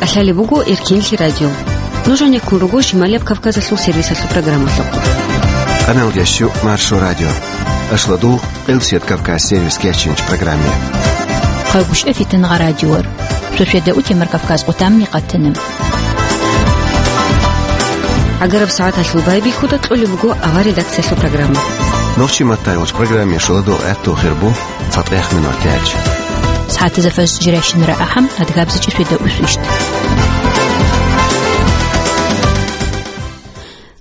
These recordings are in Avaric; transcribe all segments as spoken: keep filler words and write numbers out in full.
ТӀалъалеб буго Эркенлъи радио. Нуж гьанеккун руго Шималияб Кавказалъул сервисалъул программалъухъ. Къаналги щу Маршо радио. Ашладул Къилсият Кавказ сервис кечинч программе. Хъагушев Фитнагъа радиор. Шошеда утемар Кавказ къутамни къатана. ГӀагараб сагӀаталъул байбихьуда кьолеб буго авар редакциялъул программа. Нохчи маттайолч программе шуладул гӀатту хирбу. Фатех минор тяч. СагӀатазда фажр жирайщинара ахӀам, адгабзичӀи шведа усвищт.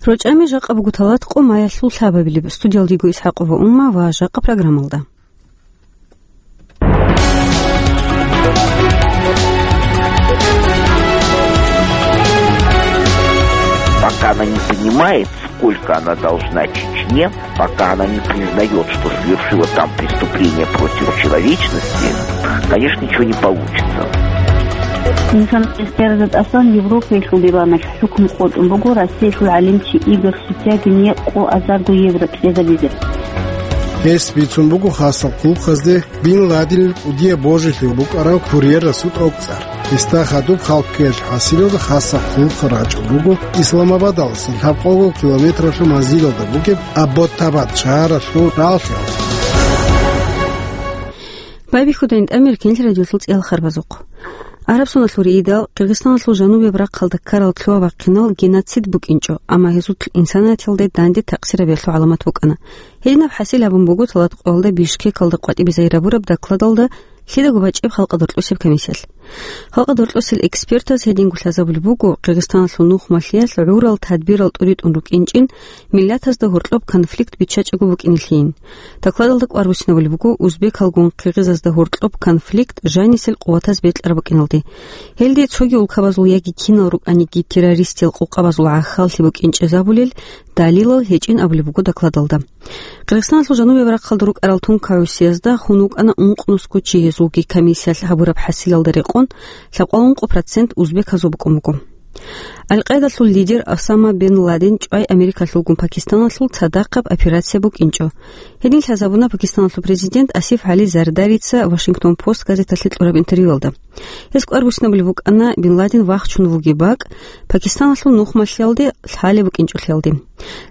РочӀами жакъа буго талат къо маялъул лъабабилеб. Студиялдиго ИсхӀакъова Умма ва жакъа программалда. Пока она не понимает, сколько она должна Чечне, пока она не признаёт, что совершила там преступление против человечности, конечно, ничего не получится. Инсан эсперзат Аслан Европаялъул диваналъ хӀукму къотӀун буго Россиялъул гӀалимчи Игорь Сутягине къо азарго евро кьезабизе. Гьес бицун буго хасал хъулухъазде Бин Ладенил кӀудияб божилъи букӀараб курьерасул тӀокӀцӀар. Гьесда хадуб халкъ ккеялъ хӀасилалда хасал хъулухъ рачӀун буго Исламабадалдаса лъабкъого километралъул манзилалда бугеб Абботабад шагьаралъул рагӀалъи. Байбихьуда ин тӀамир Эркенлъи радиолъул цӀиял харбазухъ. Араб соналъул рейдал Къиргъизстаналъул жанубияб рахъалда ккарал лъугьа-бахъинал геноцид букӀинчӀо, амма гьезул инсанияталде данде такъсирабиялъул гӀаламат букӀана. Гьединаб хӀасил гьабун буго талат къоялда Бишкекалда къватӀибе загьир гьабураб докладалда лъидаго бачӀеб халкъа доркьосеб комиссиялъ. Халкъа доркьосел экспертаз гьединго лъазабулеб буго, Къиргъизстаналъул нухмалъиялъ гӀурал тадбирал тӀуритӀун рукӀинчӀин, миллатазда гьоркьоб конфликт биччачӀого букӀинелъийин. Докладалда кӀвар буссинабулеб буго узбекалгун къиргъизазда гьоркьоб конфликт жанисел къуватаз бекьараб букӀиналде. Гьелде цоги улкабазул яги кинал рукӀаниги террористиял къокъабазул гӀахьаллъи букӀинчӀезабулел далилал гьечӀин абулеб буго докладалда. Къиргъизстаналъул жанубияб рахъалда рукӀарал тункагӀусиязда тун вукӀана ункънусго чи, гьезулги комиссиялъ гьабураб хӀасилалда рекъон лъабкъоялда ункъо процент узбеказул букӀун буго. Ал-Къайдалъул лидер Осама бен Ладен чӀвай Америкалъулгун Пакистаналъул цадахъаб операция букӀинчӀо. Гьедин лъазабуна Пакистаналъул президент Асиф ГӀали Зардарица Вашингтон Пост газеталъе кьураб интервьюялда. Гьес кӀвар буссинабулеб букӀана Бин Ладен вахчун вугеб бакӀ Пакистаналъул нухмалъиялде лъалеб букӀинчӀолъиялде.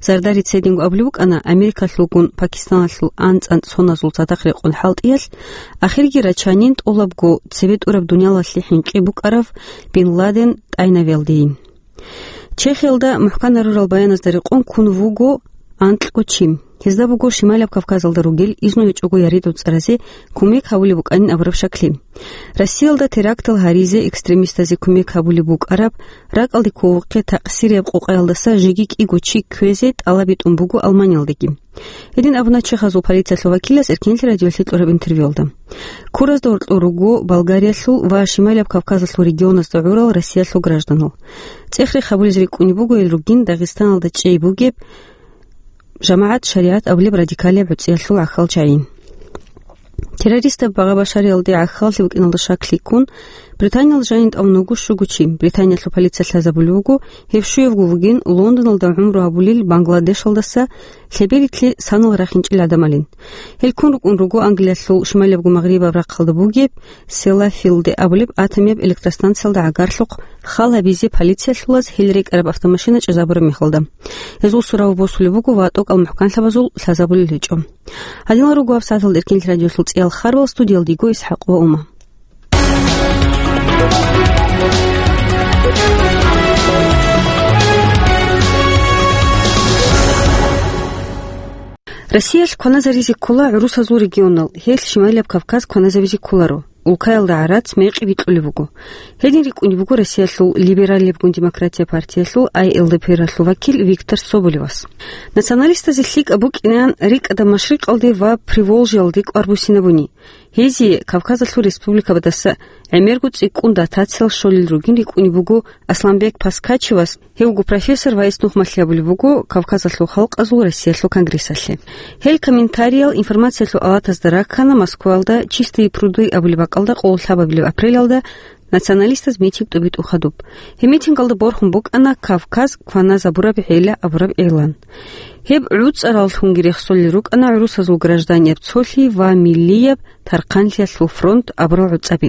Зардарица гьединго абулеб букӀана, Америкалъулгун Пакистаналъул анцӀ-анцӀ соназул цадахъ рекъон хӀалтӀиялъ, ахирги рачанин тӀолабго цебе тӀураб дуниялалъе хӀинкъи букӀарав Бин Ладен тӀайнавиялдейин. Чехиялда мухӀканарурал баяназда рекъон ккун вуго анкьго чи. Гьезда буго Шималияб Кавказалда ругел изну гьечӀого яридав цӀаразе кумек гьабулеб букӀанин абураб шакли. Россиялда терактал гьаризе экстремистазе кумек гьабулеб букӀараб ракӀалде кколухъе такъсирияб къокъаялдаса жеги кӀиго чи кквезе тӀалабитӀун буго Алманиялдеги. Гьедин абуна чехазул полициялъул вакилас Эркенлъи радиолъе кьураб интервьюялда. Куразда гьоркьор руго Болгариялъул ва Шималияб Кавказалъул регионазда гӀурал Россиялъул гражданал. ЦӀех-рех гьабулез рикӀкӀунеб буго гьел ругин Дагъистаналда чӀей бугеб жамагӀат-шаригӀат абулеб радикалияб гӀуцӀиялъул гӀахьал чагӀи. Террористаб багъа-башариялде гӀахьаллъи букӀиналда шаклъи ккун, Британиялда жанин тӀамун вуго щуго чи. Британиялъул полиция лъазабулеб буго, гьев щуявго вугин Лондоналда гӀумру гьабулел Бангладешалдаса лъеберилъе санал рахинчӀел гӀадамалин. Гьел ккун рукӀун руго Англиялъул шималиябго магърибаб рахъалда бугеб Селафилде абулеб атомияб электростанциялда гӀагарлъухъ хал гьабизе полициялъулаз гьел рекӀараб автомашина чӀезабураб мехалда. Гьезул сурав босулеб буго ва тӀокӀал мухӀканлъабазул лъазабулел гьечӀо. Гьадинал руго гьаб сагӀаталда Эркенлъи радиолъул цӀиял харбал, студиялда йиго ИсхӀакъова Ума. Россиялъ кваназаризе ккола гӀурусазул регионал, гьелъ Шималияб Кавказ кваназабизе кколаро. Улкаялда гӀарац мекъи бикьулеб буго. Гьедин рикӀкӀунеб буго Россиялъул либералебгун демократия партиялъул, ай Л Д П Р-алъул вакил Виктор Соболевас. Националистазе лъикӀаб букӀинан рикӀкӀада Машрикъалде ва Приволжьеялде кӀвар буссинабуни. Гьезие Кавказалъул республикабадаса гӀемерго цӀикӀкӀун дотациял щолел ругин рикӀкӀунеб буго Асланбек Паскачевас, гьев вуго профессор ва гьес нухмалъи гьабулеб буго Кавказалъул халкъазул Россиялъул конгрессалъе. Гьел комментариял информациялъул аватазда раккана Москваялда Чистые пруды абулеб бакӀалда къоло лъабабилеб апрелалда националистаз митинг тӀубитӀун хадуб. Гьеб митингалда борхун букӀана Кавказ кваназабураб гӀела абураб игълан. Гьеб гӀуцӀараллъунги рехсолел рукӀана гӀурусазул гражданияб цолъи ва миллияб тархъанлъиялъул фронт абурал гӀуцӀаби.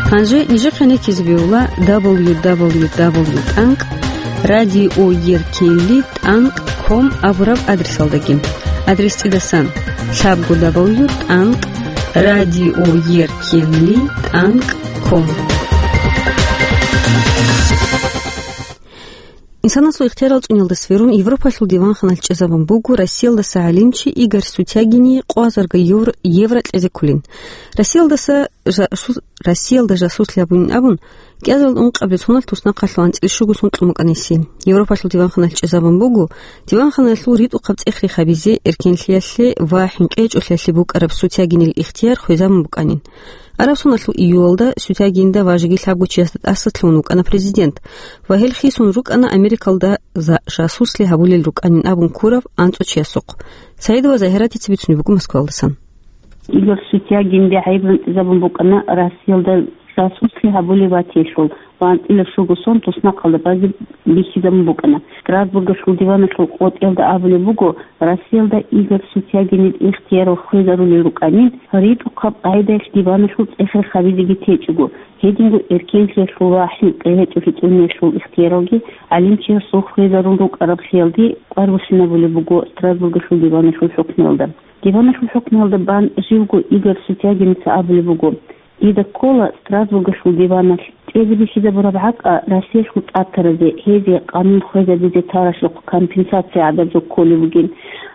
Гьанже нижехъе нехизе бегьула дабл ю дабл ю дабл ю тӀанкӀ радиоеркенли тӀанкӀ ком абураб адресалдаги. Адрес цӀидасан: лъабго дабл ю тӀанкӀ радиоеркенли тӀанкӀ ком. Инсанасул ихтиярал цӀуниялда сверун Европалъул диванханалъ чӀезабун буго Россиялдаса гӀалимчи Игорь Сутягине къо гьазар евро, евро кьезе кколин. Россиялдаса жа-, су-, Россиялда жасуслъи гьабунин абун, кӀиазарилда ункъабилеб соналъ туснахъалъув анцӀила щуго сон кьун букӀана гьесие. Европалъул диванханалъ чӀезабун буго, диванханалъул ритӀухъаб цӀех рехабизе, эркенлъиялъе ва хӀинкъи гьечӀолъиялъе букӀараб Сутягинил ихтияр хвезабун букӀанин. Араб соналъул июлалда Сутягинда ва жеги лъабго чиясда тӀасалъугьун вукӀана президент ва гьел хисун рукӀана Америкалда за-, жасуслъи гьабулел рукӀанин абун ккураб анцӀго чиясухъ. Саидова Загьиратица бицунеб буго Москвалдасан. Игорь Сутягинде гӀайиб гӀунтӀизабун букӀана Россиялда жасуслъи гьабулев ватиялъул ва анцӀила щуго сон туснахъалда базе бихьизабун букӀана. Страсбургалъул диваналъул къотӀиялда абулеб буго, Россиялда Игорь Сутягинил ихтиярал хвезарулел рукӀанин, ритӀухъаб къагӀидаялъ диваналъул цӀех рехабизеги течӀого, гьединго эркенлъиялъул ва хӀинкъи гьечӀолъи цӀуниялъул ихтияралги гӀалимчиясул хвезарун рукӀараблъиялде къварбулъинабулеб буго Страсбургалъул диваналъул хӀукмуялда. Диваналъул хӀукмуялда бан живго Игорь Сутягиница абулеб буго: Дида ккола Страсбургалъул диваналъ тӀезе бихьизабураб гӀакъа Россиялъул тӀатаразе, гьезие къанун хвезабизе таралъухъ компенсация гӀадаб жо кколеб бугин.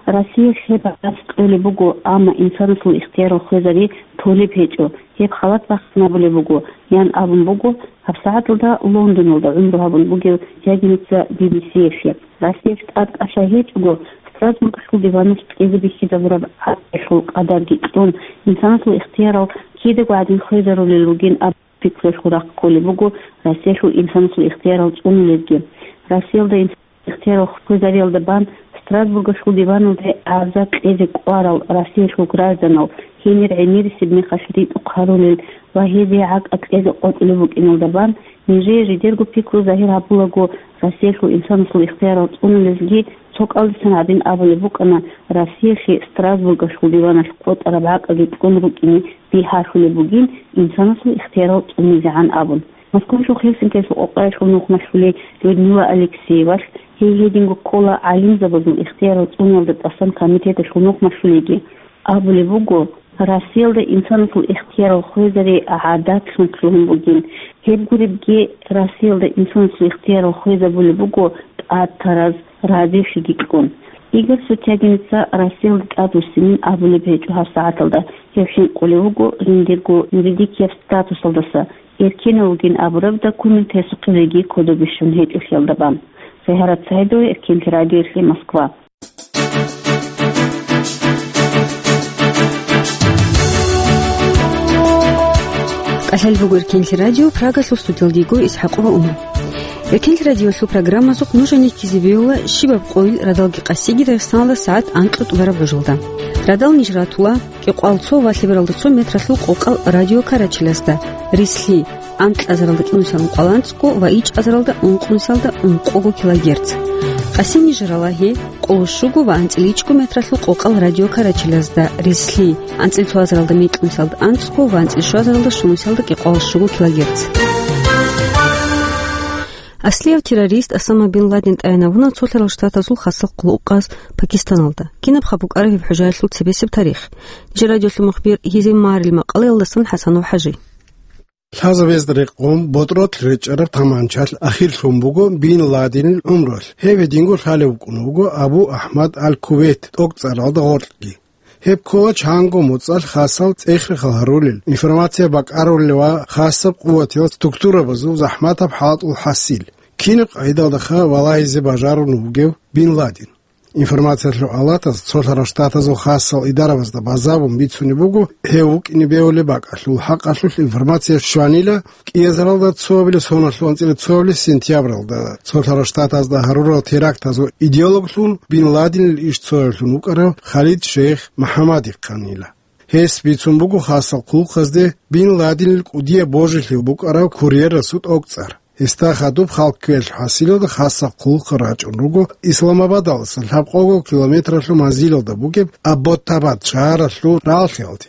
Россиялъ гьеб гӀарац кьолеб буго, амма инсанасул ихтиярал хвезари толеб гьечӀо, гьеб халат бахъинабулеб буго, ян абун буго гьабсагӀаталда Лондоналда гӀумру гьабун бугев Сутягиница Би-Би-Си-ялъе. Россиялъ тӀад кӀалъай гьечӀого, Страсбургалъул диваналъ тӀезе бихьизабураб гӀакъалъул къадарги кьун, инсанасул ихтиярал кидаго гӀадин хвезарулел ругин аб-, пикруялъул рахъ кколеб буго Россиялъул инсанасул ихтиярал цӀунулезги. Россиялда инсанасул ихтиярал хвезариялда бан Страсбургалъул диваналде гӀарза кьезе кӀварал Россиялъул гражданал гьенир гӀемерисеб мехалъ ритӀухъ гьарулел ва гьезие гӀакъа кьезе къотӀулеб букӀиналда бан, нижее жидерго пикру загьир гьабулаго, Россиялъул инсанасул ихтиярал цӀунулезги цо кӀалдисан гьадин абулеб букӀана, Россиялъе Страсбургалъул диваналъ къотӀараб гӀакъаги кьун рукӀине бигьалъулеб бугин инсанасул ихтиярал цӀунизегӀан абун. Москвалъул Хельсинкиялъул къокъаялъул нухмалъулей Людмила Алексеевалъ, гьей гьединго ккола гӀалимзабазул ихтиярал цӀуниялда тӀасан комитеталъул нухмалъулейги, абулеб буго, Россиялда инсанасул ихтиярал хвезари гӀадатлъун лъугьун бугин. Гьеб гуребги, Россиялда инсанасул ихтиярал хвезабулеб буго тӀад тараз разилъиги кьун. Игорь Сутягиница Россиялда тӀадвуссинин абулеб гьечӀо гьабсагӀаталда, гьев хӀинкъулев вуго жиндирго юридикияб статусалдаса, эркенав вугин абураб документ гьесухъе жеги кодобе щун гьечӀолъиялда бан. Загьарат Саидова, Эркенлъи радиоялъе, Москва. КӀалъал буго Эркенлъи радио, Прагалъул студиялда йиго ИсхӀакъова Умар. Эркенлъи радиолъул программазухъ нужее ккезе бегьула щибаб къойил радалги къасиги Дагъистаналда сагӀат анкьго тӀубараб гӀужалда. Радал ниж ратула кӀикъоялда цо ва лъебералда цо метралъул къокъал радио Карачилазда, рислъи анкьазаралда кӀинусиялда ункъоялда анцӀго ва ичӀазаралда ункънусиялда ункъого килогерц. Къасин ниж рала гьеб къоло щуго ва анцӀила ичӀго метралъул къокъал радио Карачилазда, рислъи анцӀила цоазаралда мекьнусиялда анцӀго ва анцӀила щуазаралда щунусиялда кӀикъоялда щуго килогерц. Аслияв террорист Осама бин Ладен тӀайин абуна Цолъарал Штатазул хасал хъулухъаз Пакистаналда. Кинабха букӀараб гьеб хӀужаялъул цебесеб тарих? Нижер радиолъул мухбир Гьизим Марил макъалаялдасан ХӀасанов ХӀажи. Лъазабезда рекъон ботӀролъ речӀчӀараб таманчалъ ахирлъун буго Бин Ладенил гӀумруялъ. Гьев гьединго лъалев вукӀун вуго Абу Ахмад аль-Кувейт тӀокӀцӀаралда гъоркьги. Гьеб ккола чанго моцӀалъ хасал цӀех-рехал гьарулел, информация бакӀарулел ва хасаб къуватиял структурабазул захӀматаб хӀалтӀул хӀасил. Кинаб къагӀидалдаха валагьизе бажарун вугев Бин Ладен? Информациялъул алатаз Цолъарал Штатазул хасал идарабазда базабун бицунеб буго, гьев вукӀине бегьулеб бакӀалъул хӀакъалъулъ информация щванила кӀиазаралда цоабилеб соналъул анцӀила цоабилеб сентябралда Цолъарал Штатазда гьарурал терактазул идеологлъун Бин Ладенил иш цояблъун вукӀарав Халид Шейх МухӀаммадихъанила. Гьес бицун буго хасал хъулухъазде Бин Ладенил кӀудияб божилъи букӀараб курьерасул тӀокӀцӀар. Гьесда хадуб халкквеялъул хӀасилалда хасал хъулухъ рачӀун руго Исламабадалдаса лъабкъого километралъул манзилалда бугеб Абботтабад шагьаралъул рагӀалъиялде.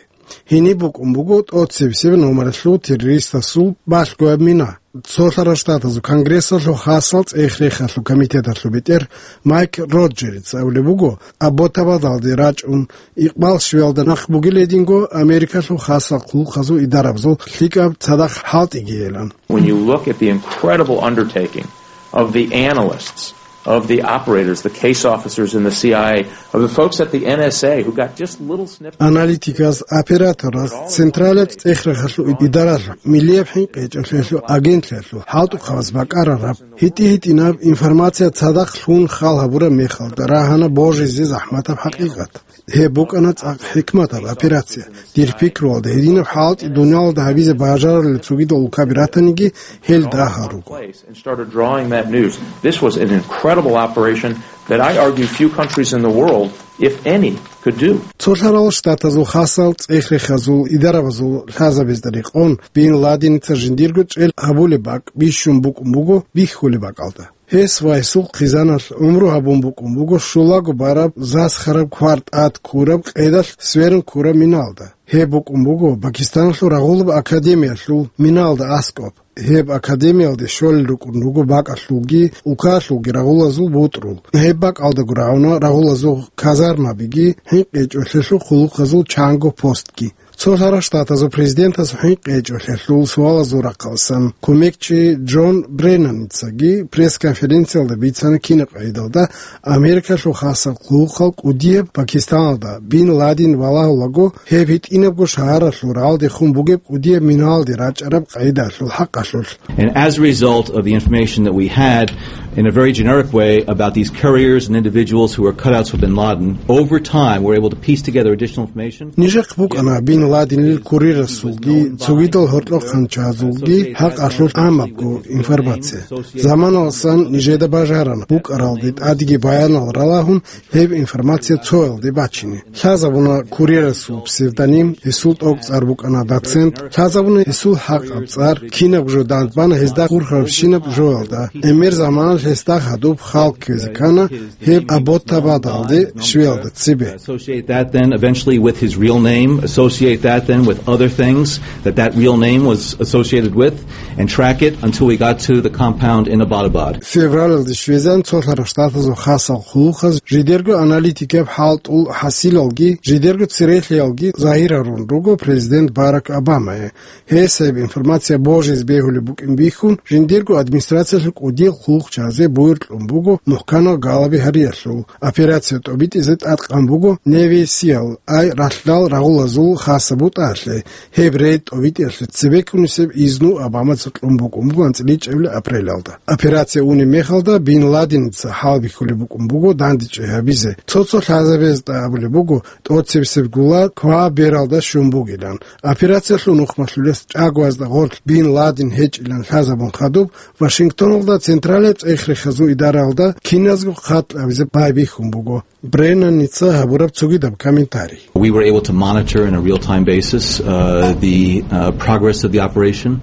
Гьениб букӀун буго тӀоцебесеб номералъул террористасул балъгояб мина. Цолъарал Штатазул Конгрессалъул хасал цӀех-рехалъул комитеталъул бетӀер Майк Роджерс абулеб буго, Абботтабадалде рачӀун, Икъбал щвеялда нахъ бугел гьединго Америкалъул хасал хъулухъазул идарабазул лъикӀаб цадахъ хӀалтӀигейилан. When you look at the incredible undertaking of the analysts, of the operators, the case officers in the C I A, of the folks at the N S A who got just little snippets. Аналитиказ, оператораз, централаб цӀех-рехалъул идаралъ, миллияб хӀинкъи гьечӀолъиялъул агентлъиялъул хӀалтӀухъабаз бакӀарараб, гьитӀи-гьитӀинаб информация цадахъ лъун хал гьабураб мехалда рагьана божизе захӀматаб хӀакъикъат. Гьеб букӀана цӀакъ хӀикматаб операция. Дир пикруялда, гьединаб хӀалтӀи дуниялалда гьабизе бажарулел цогидал улкаби ратаниги, гьел дагьал руго. Place and started drawing that news. This was an incredible operation that I argue few countries in the world, if any, could do. Цолъарал Штатазул хасал цӀех-рехазул идарабазул лъазабазда рекъон, Бин Ладеница жиндирго чӀел гьабулеб бакӀ бищун букӀун буго бихьулеб бакӀалда. Гьес ва гьесул хъизаналъ гӀумру гьабун букӀун буго щулаго бараб, засхараб, квар тӀад ккураб, къедалъ сверун ккураб миналда. Гьеб букӀун буго Пакистаналъул рагъулаб академиялъул миналда аскӀоб. Гьеб академиялде щолел рукӀун руго бакӀалъулги улкаялъулги рагъулазул бутӀрул. Гьеб бакӀалдаго рагӀуна рагъулазул казармабиги, хӀинкъи гьечӀолъиялъул хъулухъазул чанго постги. Цолъарал Штатазул президентасул хӀинкъи гьечӀолъиялъул суалазул рахъалсан кумекчи Джон Бреннаницаги пресс-конференциялда бицана кинаб къагӀидалда Америкалъул хасал хъулухъал кӀудияб Пакистаналда Бин Ладен валагьулаго, гьеб гьитӀинабго шагьаралъул рагӀалдехун бугеб кӀудияб миналде рачӀараб къагӀидалъул хӀакъалъулъ. And as a result of the information that we had, in a very generic way, about these couriers and individuals who were cutouts for bin Laden, over time, we're able to piece together additional information. Нижехъ букӀана Бин Ладенил курирасулги, цогидал гьоркьохъанчазулги хӀакъалъулъ гӀамабго информация. Заманаласан нижеда бажарана, букӀаралде тӀадеги баянал ралагьун, гьеб информация цоялде бачине. Лъазабуна курирасул псевдоним, гьесул тӀокӀцӀар букӀана доцент, лъазабуна гьесул хӀакъаб цӀар, кинаб жо дандбана гьезда хурхарабщинаб жоялда. ГӀемер заманалъ гьесда гьадуб хал кквезе ккана гьеб Абботтабадалде щвеялда цебе. Associate that then eventually with his real name, associate that then with other things that that real name was associated with, and track it until we got to the compound in Abbottabad. Февралалде щвезан цолъарал штатазул хасал хъулухъаз жидерго аналитикаб хӀалтӀул хӀасилалги, жидерго церехиялги загьир гьарун руго президент Барак Обамае. Гьес гьеб информация божизе бегьулеб букӀин бихьун, жиндирго администрациялъул кӀудиял хъулухъчазе буюр кьун буго мухӀканал галаби гьариялъул. Операция тӀобитӀизе тӀадкъан буго Неви Сиал Ай ралъдал рагъулазул хасаб бутӀаялъе. Гьеб рейд тӀобитӀиялъе цебеккунисеб изну Обамаца кьун букӀун буго анцӀила ичӀабилеб апрелалда. Операция унеб мехалда Бин Ладеница хӀалбихьулеб букӀун буго дандечӀей гьабизе. Цо-цо лъазабазда абулеб буго, тӀоцебесеб гула ква бералда щун бугилан. Операциялъул нухмалъулес чӀагоязда гъорлъ Бин Ладен гьечӀилан лъазабун хадуб, Вашингтоналда централияб цӀех-рехазул идаралда киназго хъат кьабизе байбихьун буго. Бреннаница гьабураб цогидаб комментарий. We were able to monitor in a real-time basis, uh, the, uh, progress of the operation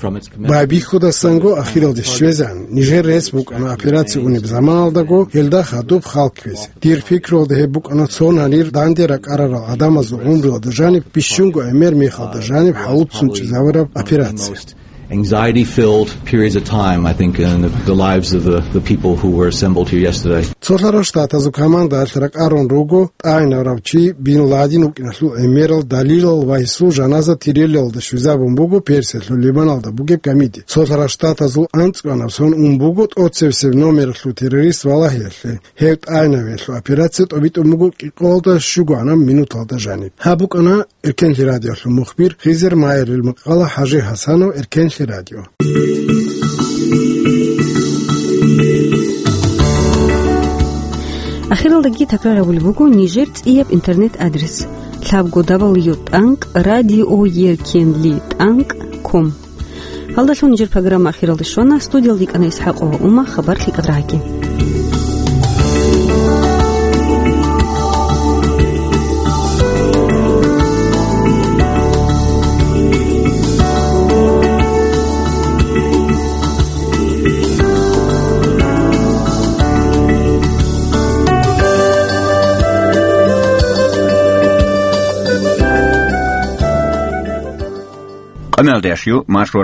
from its commencement. Байбихьудасанго ахиралде щвезегӀан, нижер рес букӀана операция унеб заманалдаго гьелда хадуб хал кквезе. Дир пикруялда гьеб букӀана цо гьанир данде ракӀарарал гӀадамазул гӀумруялда жаниб, бищунго гӀемер мехалда жаниб хӀалуццун чӀезавараб операция. Anxiety-filled periods of time, I think, in the, the lives of the, the people who were assembled here yesterday. Цолъарал штатазул командаялъ ракӀарун руго тӀагӀинарав чи Бин Ладен вукӀиналъул гӀемерал далилал ва гьесул жаназа тирилалда щвезабун буго Персиялъул Лебаналда бугеб гамиди. Цолъарал штатазул анцӀкӀванаб сон ун буго тӀоцебесеб номералъул террорист валагьиялъе. Гьев тӀагӀинавиялъул операция тӀобитӀун буго кӀикъоялда щугоанаб минуталда жаниб. Гьаб букӀана Эркенлъи радиолъул мухбир Хизер Майерил макъала, ХӀажи ХӀасанов, Эркенлъи радио. Ахиралдаги такрар гьабулеб буго нижер цӀияб интернет-адрес: лъабго дабл ю тӀанкӀ радио еркенлъи тӀанкӀ ком. Гьалдалъун нижер программа ахиралде щвана. Студиялда йикӀана ИсхӀакъова Ума. Хабар лъикӀал рагӀаги. Амалдашю маршо